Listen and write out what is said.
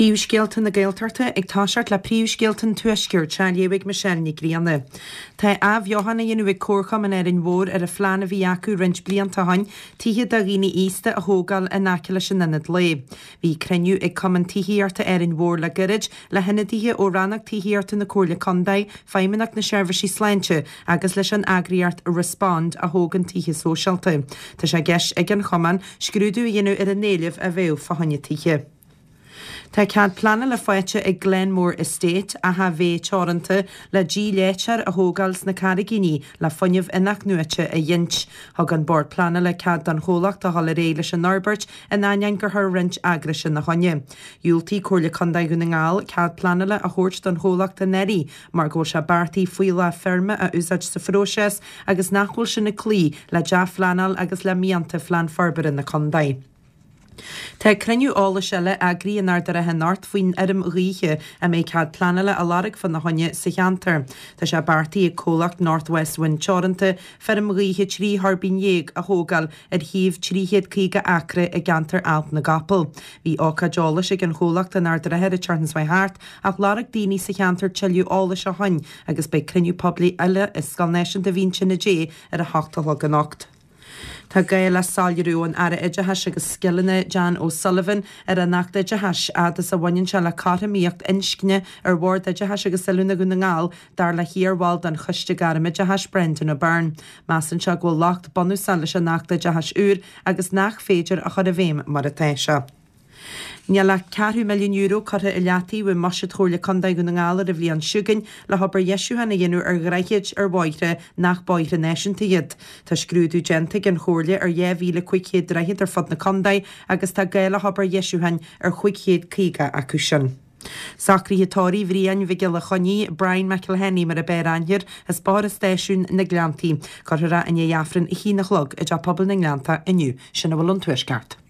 Príomhscéalta na Gaeltachta ag toiseacht le príomhscéalta an Tuaiscirt, á léamh ag Michelle Nic Grianna. Tá athbheochan á dhéanamh ag Comharchumann Árainn Mhór ar an phlean a bhí acu roinnt blianta ó shin tithe do dhaoine aosta a thógáil in aice leis an ionad lae. Bhí cruinniú ag Cumann Tithíochta Árainn Mhór le gairid le hionadaithe ó Rannóg Tithíochta na Comhairle Contae, Feidhmeannacht na Seirbhísí Sláinte agus leis an eagraíocht Respond a thógann tithe sóisialta. Tá sé i gceist ag an chumann scrúdú a dhéanamh ar an éileamh a bheadh fá choinne tithe. Tá cead pleanála faighte ag Glenmore Estate, Achadh Bhé Teoranta, le díleáiteoir a thógáil sna Carraigíní le fuinneamh inathnuaite a ghint. Thug an Bord Pleanála cead don chomhlacht a dhul ar aghaidh leis an fhorbairt in ainneoin gur chuir roinnt eagrais ina choinne. Dhiúltaigh Comhairle Contae Dhún na nGall cead pleanála a thabhairt don chomhlacht anuraidh mar go bhfuil sé beartaithe fuíollach feirme a úsáid sa phróiseas agus nach bhfuil sin ag cloí le dea-phleanáil agus le mianta Phlean Forbartha na Contae. Tá cruinniú eolais eile eagraithe in Ard a' Rátha anocht faoin fheirm ghaoithe a mbeidh cead pleanála á lorg fána choinne sa cheantar. Tá sé beartaithe ag comhlacht North West Wind Teoranta feirm ghaoithe 13 thuirbín a thógáil ar shuíomh 350 acra i gceantar Ailt na gCapall. Bhí ócáid eolais ag an chomhlacht in Ard a' Rátha an tseachtain seo chuaigh thart ach lorg daoine sa cheantar tuilleadh eolais ó shin agus beidh cruinniú poiblí eile i Scoil Náisiúnta Mhín Tine Dé ar a hocht a chlog anocht. Tá gá le soiléiriú ón Aire Oideachais agus Scileanna, Jan O'Sullivan, ar an Acht Oideachais, fhad is a bhaineann sé le cothromaíocht inscne ar Bhord Oideachais agus Oiliúna Dhún na nGall, dar le hiarbhall den Choiste Gairmoideachais, Brendan O'Byrne. Measann sé go bhfuil locht bunúsach leis an Acht Oideachais úr agus nach féidir a chur i bhfeidhm mar atá sé. Níl ach €250 milliún curtha i leataobh i mbuiséad Chomhairle Contae Dhún na nGall ar an bhliain seo chugainn le hobair dheisiúcháin a dhéanamh ar dhroichid ar bhóithre nach bóithre náisiúnta iad. Tá scrúdú déanta ag an Chomhairle ar 2,500 droichead ar fud na contae agus tá gá le hobair dheisiúcháin ar 550 acu sin. Socruithe tórraimh Bhriain Mhic Giolla Chainnigh, Brian McElhenney mar a b'fhearr aithne air, as Bóthar an Stáisiúin, Na Gleanntaí. Cuirfear é i ndiaidh Aifreann a haon a chlog i dTeach Pobail na nGleanntach inniu. Sin a bhfuil ón Tuaisceart.